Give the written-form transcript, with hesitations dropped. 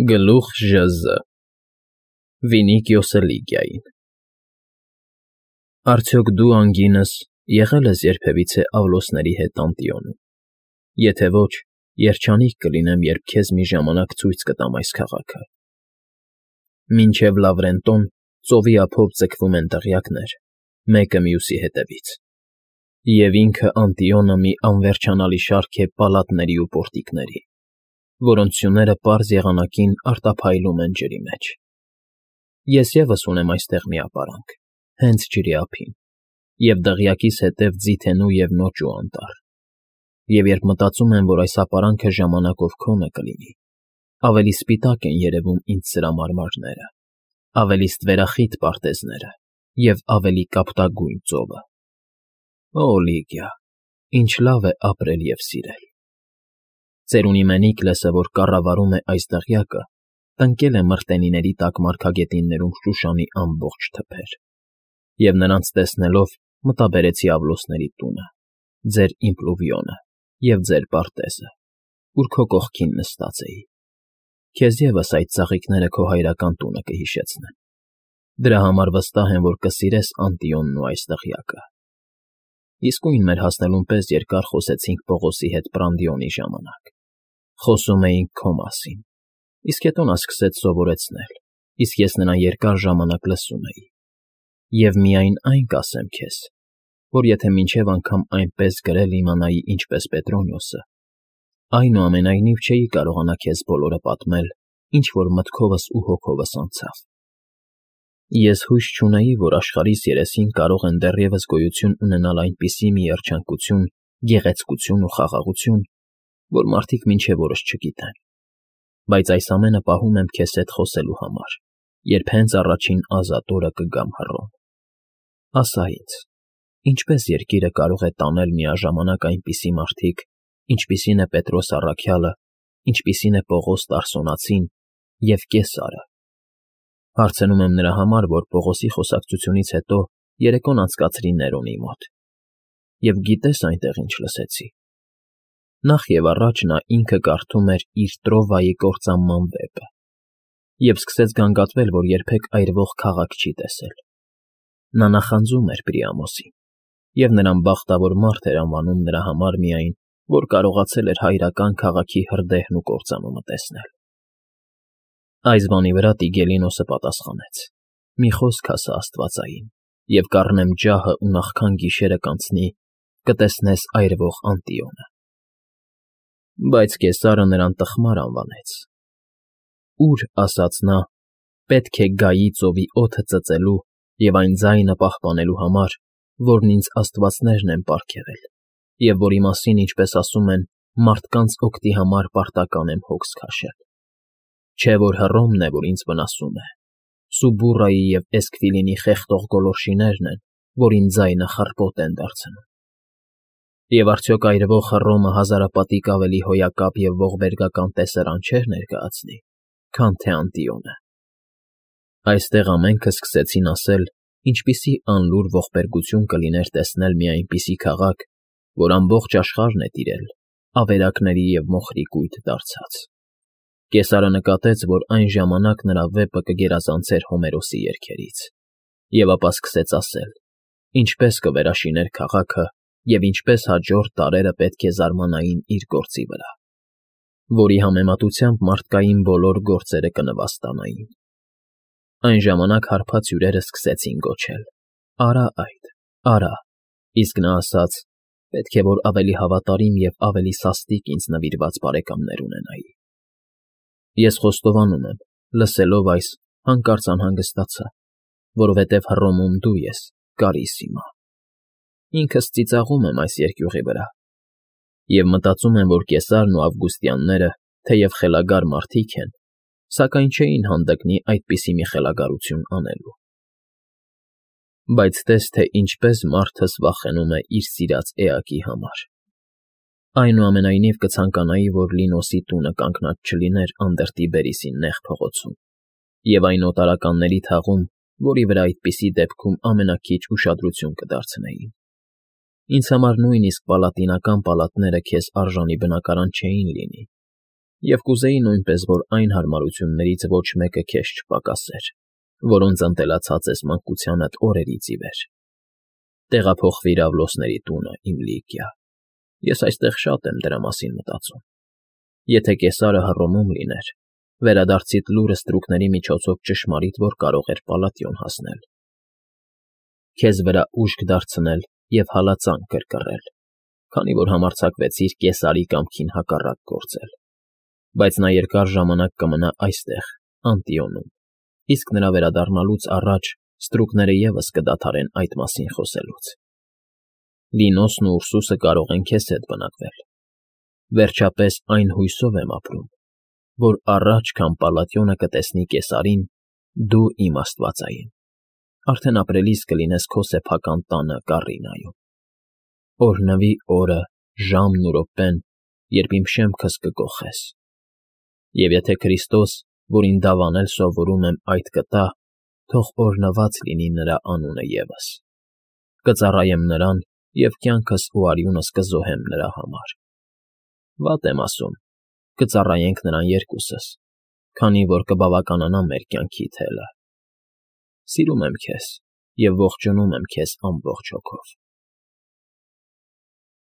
Գլուխ ԺԶ Վինիկիոսը Լիգիային Արդյոք դու, անգինս, եղել ես երբևիցե Ավլոսների հետ Անտիոնում, եթե ոչ, երջանիկ կլինեմ, երբ քեզ մի ժամանակ ցույց կտամ այս քաղաքը։ Մինչև Լավրենտոն ծովի ափով ձգվում են դղյակներ, մեկը մյուսի հետևից, և ինքը Անտիոնը մի անվերջանալի շարք է պալատների ու պորտիկների, որոնց սյուները պարզ եղանակին արտափայլում են ջրի մեջ։ Ես ևս ունեմ այստեղ մի ապարանք, հենց ջրի ափին, և դղյակիս հետև ձիթենու և նոճու անտառ, և երբ մտածում եմ, որ այս ապարանքը ժամանակով քոնը կլինի, ավելի սպիտակ են երևում ինձ սրա մարմարները, ավելի ստվերախիտ պարտեզները և ավելի կապտագույն ծովը։ Օ, Լիգիա, ինչ լավ է ապրել և սիրել։ Ծերունի Մենիկլեսը, որ կառավարում է այս դղյակը, տնկել է մրտենիների տակ մարգագետիններում Շուշանի ամբողջ թփեր, և նրանց տեսնելով մտաբերեցի Ավլոսների տունը, ձեր իմպլուվիոնը և ձեր պարտեզը, ուր քո կողքին նստած էի։ Քեզ ևս այդ ծաղիկները քո հայրական տունը կհիշեցնեն։ Դրա համար վստահ եմ, որ կսիրես Անտիոնն ու այս դղյակը։ Իսկույն մեր հասնելուն պես երկար խոսեցինք Պողոսի հետ Պրանդիոնի ժամանակ։ Խոսում էինք քո մասին, իսկ հետո նա սկսեց սովորեցնել, իսկ ես նրան երկար ժամանակ լսում էի։ Եվ միայն այն կասեմ քեզ, որ եթե մինչև անգամ այնպես գրել իմանայի ինչպես Պետրոնիոսը, այնուամենայնիվ չէի կարողանա քեզ բոլորը պատմել, ինչ որ մտքովս ու հոգովս անցավ։ Ես հույս չունեի, որ աշխարհիս երեսին կարող են դեռևս գոյություն ունենալ այնպիսի մի երջանկություն, գեղեցկություն ու խաղաղություն, որ մարդիկ մինչև օրս չգիտեն, բայց այս ամենը պահում եմ քեզ հետ խոսելու համար, երբ հենց առաջին ազատ օրը կգամ հռոմ։ Ասա ինձ, ինչպես երկիրը կարող է տանել միաժամանակ այնպիսի մարդիկ, ինչպիսին է Պետրոս առաքյալը, ինչպիսին է Պողոս Տարսոնացին և Կեսարը։ Հարցնում եմ նրա համար, որ Պողոսի խոսակցությունից հետո երեկոն անցկացրի Ներոնի մոտ։ Եվ գիտես այնտեղ ինչ լսեցի։ Նախ և առաջ նա ինքը կարդում էր իր Տրովայի կործանման վեպը և սկսեց գանգատվել, որ երբեք այրվող քաղաք չի տեսել։ Նա նախանձում էր Պրիամոսին, և նրան բախտավոր մարդ էր անվանում նրա համար միայն, որ կարողացել էր հայրական քաղաքի հրդեհն ու կործանումը տեսնել։ Այս բանի վրա Տիգելինոսը պատասխանեց. «Մի խոսք ասա աստվածային, և կառնեմ ջահը ու նախքան գիշերը կանցնի, կտեսնես այրվող Անտիոնը»։ Բայց Կեսարը նրան տխմար անվանեց։ «Ուր, ասաց նա, պետք է գայի ծովի օդը ծծելու և այն ձայնը պահպանելու համար, որն ինձ աստվածներն են պարգևել, և որի մասին, ինչպես ասում են, մարդկանց օգտի համար պարտական եմ հոգս քաշել։ Չէ որ Հռոմն է, որ ինձ վնասում է, Սուբուրայի և Էսքվիլինի խեղդող գոլորշիներն են, որ իմ ձայնը խռպոտ են դարձնում։ Եվ արդյոք այրվող Հռոմը հազարապատիկ ավելի հոյակապ և ողբերգական տեսարան չէր ներկայացնի, քան թե Անտիոնը։ Այստեղ ամենքը սկսեցին ասել, ինչպիսի անլուր ողբերգություն կլիներ տեսնել մի այնպիսի քաղաք, որ ամբողջ աշխարհն է տիրել, ավերակների և մոխրի կույտ դարձած։ Կեսարը նկատեց, որ այն ժամանակ նրա վեպը կգերազանցեր Հոմերոսի երգերից, և ապա սկսեց ասել, ինչպես կվերաշիներ քաղաքը և ինչպես հաջորդ դարերը պետք է զարմանային իր գործի վրա, որի համեմատությամբ մարդկային բոլոր գործերը կնվաստանային։ Այն ժամանակ հարբած հյուրերը սկսեցին գոչել. «Արա այդ, արա», իսկ նա ասաց. «Պետք է որ ավելի հավատարիմ և ավելի սաստիկ ինձ նվիրված բարեկամներ ունենայի»։ Ես խոստովանում եմ, լսելով այս, հանկարծ անհանգստացա, որովհետև Հռոմում դու ես, Կարիսիմա։ Ինքս ծիծաղում եմ այս երկյուղի վրա, և մտածում եմ, որ Կեսարն ու Ավգուստյանները, թեև խելագար մարդիկ են, սակայն չէին հանդգնի այդպիսի մի խելագարություն անելու։ Բայց տես, թե ինչպես մարդս վախենում է իր սիրած էակի համար։ Այնուամենայնիվ կցանկանայի, որ Լինոսի տունը կանգնած չլիներ Անդրտիբերիսի նեղ փողոցում և այն օտարականների թաղում, որի վրա այդպիսի դեպքում ամենաքիչ ուշադրություն կդարձնեին։ Ինձ համար նույնիսկ պալատինական պալատները քեզ արժանի բնակարան չէին լինի, Եվ կուզեի նույնպես, որ այն հարմարություններից ոչ մեկը քեզ չպակասեր, որոնց ընտելացած ես մանկությանդ օրերից ի վեր։ Տեղափոխվիր Ավլոսների տունը, իմ Լիգիա, ես այստեղ շատ եմ դրա մասին մտածում։ Եթե Կեսարը Հռոմում լիներ, վերադարձիդ լուրը ստրուկների միջոցով ճշմարիտ որ կարող էր Պալատիոն հասնել, քեզ վրա ուժք դարձնել և հալածանք կրկռել, քանի որ համարձակվեցիր Կեսարի կամքին հակառակ գործել, բայց նա երկար ժամանակ կմնա այստեղ, Անտիոնում, իսկ նրա վերադառնալուց առաջ ստրուկները ևս կդադարեն այդ մասին խոսելուց։ Լինոսն ու Ուրսուսը կարող են քեզ հետ բնակվել։ Վերջապես այն հույսով եմ ապրում, որ առաջ, քան Պալատիոնը կտեսնի Կեսարին, դու իմ աստվածային, արդեն ապրելիս կլինես քո սեփական տանը Կառինայում։ Օրհնվի օրը, ժամն ու րոպեն, երբ իմ շեմքս կկոխես։ Եվ եթե Քրիստոս, որին դավանել սովորում եմ, այդ կտա, թող օրհնված լինի նրա անունը ևս։ Կծառայեմ նրան և կյանքս ու արյունս կզոհեմ նրա համար։ Վատ եմ ասում, կծառայենք նրան երկուսս, քանի որ կբավականանա մեր կյանքի թելը։ Սիրում եմ քեզ և ողջունում եմ քեզ ամբողջ հոգով։